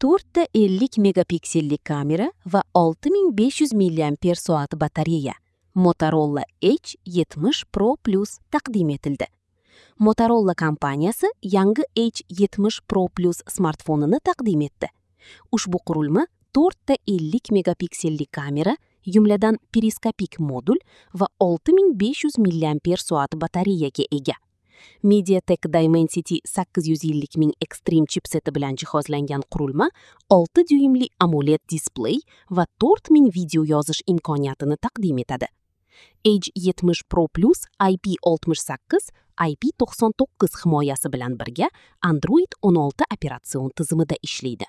4 ta 50 megapikselli kamera va 6500 mAh batareya. Motorola Edge 70 Pro Plus taqdim etildi. Motorola kompaniyasi yangi Edge 70 Pro Plus smartfonini taqdim etdi. Ushbu qurilma 4 ta 50 megapikselli kamera, jumladan periskopik modul va 6500 mAh batareyaga ega. MediaTek Dimensity 850 000 Extreme chipseti bilan jihozlangan qurilma 6 dyuymli AMOLED displey va 4000 video yozish imkoniyatini taqdim etadi. Edge 70 Pro Plus IP68, IP99 himoyasi bilan birga Android 16 operatsion tizimida ishlaydi.